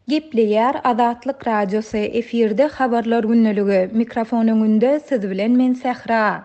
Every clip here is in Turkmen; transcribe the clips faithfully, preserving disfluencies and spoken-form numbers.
Gepleýär Azatlyk Radiosy, efirde Habarlar gündeligi, mikrofon öňünde siz bilen men Sähra.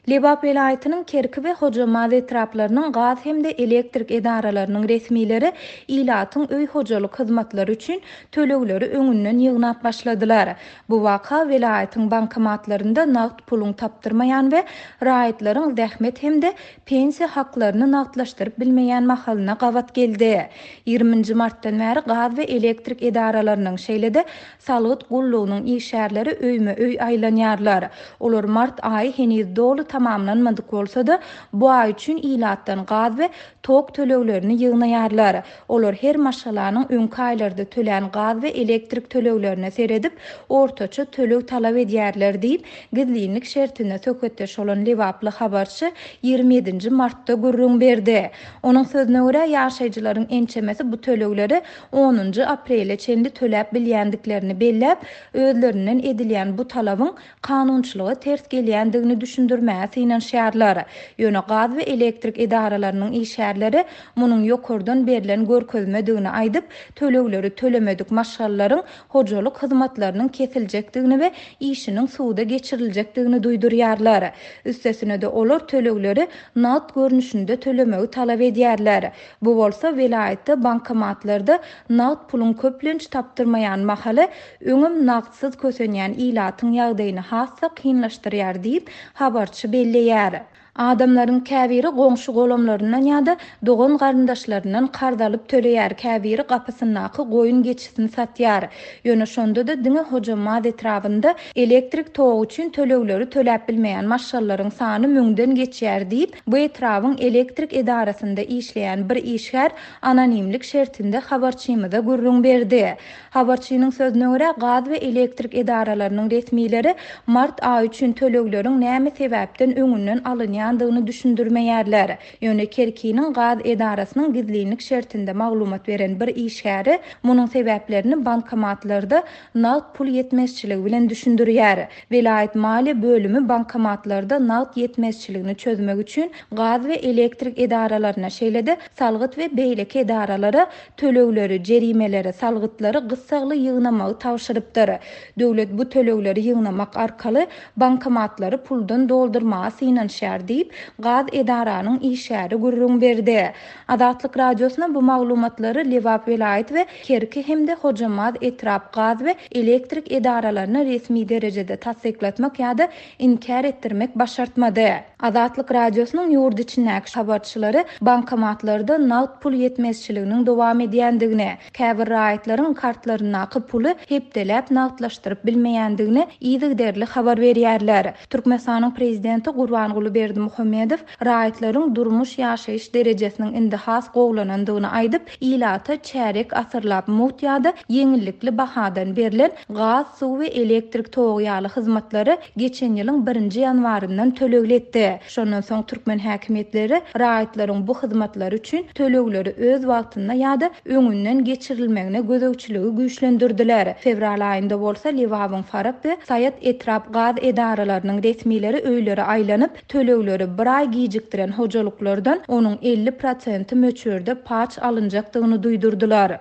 Lebap welaýatynyň Kerki we Hojambaz etraplarynyň gaz hem-de elektrik edaralarynyň resmileri ilatyň öý hojalyk hyzmatlary üçin tölegleri öňünden ýygnap başladylar. Bu waka welaýatyň bankomatlarynda nagt puluň tapdyrmaýan we raýatlaryň zähmet hem-de pensiýa haklaryny nagtlaşdyryp bilmeýän mahalyna gabat geldi. Ýigriminji martdan bäri gaz we elektrik edaralarynyň, şeýle-de salgyt gullugynyň işgärleri öýme-öý aýlanýarlar. Olar mart aýy heniz doly tamamlanmadyk bolsa-da, bu aý üçin ilatdan gaz we tok töleglerini ýygnaýarlar. Olar her maşgalanyň öňki aýlarda tölän gaz we elektrik töleglerine seredip, ortaça töleg talap edýärler diýip, gizlinlik şertinde söhbetdeş bolan lebaply habarçy ýigrimi ýedinji martda gürrüň berdi. Onuň sözüne görä, ýaşaýjylaryň ençemesi bu tölegleri onunjy aprele çenli töläp bilýändiklerini belläp, özlerinden edilýän bu talabyň kanunçylyga ters gelýändigini düşündirmäge synanyşýarlar. Ýöne gaz we elektrik edaralarynyň işgärleri munuň ýokardan berlen görkezmedigini aýdyp, tölegleri tölemedik maşgalalaryň hojalyk hyzmatlarynyň kesiljekdigini we işiniň suda geçiriljekdigini duýdurýarlar. Üstesine-de olar tölegleri nagt görnüşinde tölemegi talap edýärler. Bu bolsa welaýatda bankomatlarda nagt puluň köplenç tapdyrmaýan mahaly öňem nagtsyz kösenýän ilatyň ýagdaýyny has-da kynlaşdyrýar diýip, habarçy belleýär. Adamlaryň käbiri goňşy golamlaryndan ýa-da dogan garyndaşlaryndan karz alyp töleýär, käbiri gapysyndaky goýun geçisini satýar. Ýöne şonda-da diňe Hojambaz etrabynda elektrik togy üçin tölegleri töläp bilmeýän maşgalalaryň sany müňden geçýär diýip, bu etrabyň elektrik edarasynda işleýän bir işgär anonimlik şertinde habarçymyza gürrüň berdi. Habarçynyň sözüne görä, gaz we elektrik edaralarynyň resmileri mart aýy üçin tölegleriň näme sebäpden öňünden alynýandygyny düşündirmeýärler. Ýöne Kerkiniň gaz edarasynyň gizlinlik şertinde maglumat beren bir işgäri munuň sebäplerini bankomatlarda nagt pul ýetmezçiligi bilen düşündirýär. Welaýat maliýe bölümi bankomatlarda nagt ýetmezçiligini çözmek üçin gaz we elektrik edaralaryna, şeýle-de salgyt we beýleki edaralara tölegleri, jerimeleri, salgytlary gyssagly ýygnamagy tabşyrypdyr. Döwlet bu tölegleri ýygnamak arkaly bankomatlary puldan doldurmaga synanyşýar diýip, gaz edaranyň işgäri gürrüň berdi. Azatlyk Radiosyna bu maglumatlary Lebap welaýat we Kerki hem-de Hojambaz etrap gaz we elektrik edaralaryna resmi derejede tassyklatmak ýa-da inkär etdirmek başartmady. Azatlyk Radiosynyň ýurt içindäki habarçylary bankomatlarda nagt pul ýetmezçiliginiň dowam edýändigini, käbir raýatlaryň kartlaryndaky puly hepdeläp nagtlaşdyryp bilmeýändigini yzygiderli habar berýärler. Türkmenistanyň prezidenti Gurbanguly Berdimuhamedow raýatlaryň durmuş ýaşaýyş derejesiniň indi has gowulanandygyny aýdyp, ilata çärek asyrlap mugt ýa-da ýeňillikli bahadan berlen gaz, suw we elektrik togy ýaly hyzmatlary geçen ýylyň birinji ýanwaryndan tölegli etdi. Şondan soň türkmen häkimiýetleri raýatlaryň bu hyzmatlary üçin tölegleri öz wagtynda ýa-da öňünden geçirilmegine gözegçiligi güýçlendirdiler. Fewral aýynda bolsa Lebabyň Farap we Saýat etrap gaz edaralarynyň resmileri öýlere aýlanyp, tölegleri bir aý gijikdiren hojalyklardan onuň elli prosenti möçberde paç alynjakdygyny duýdurdylar.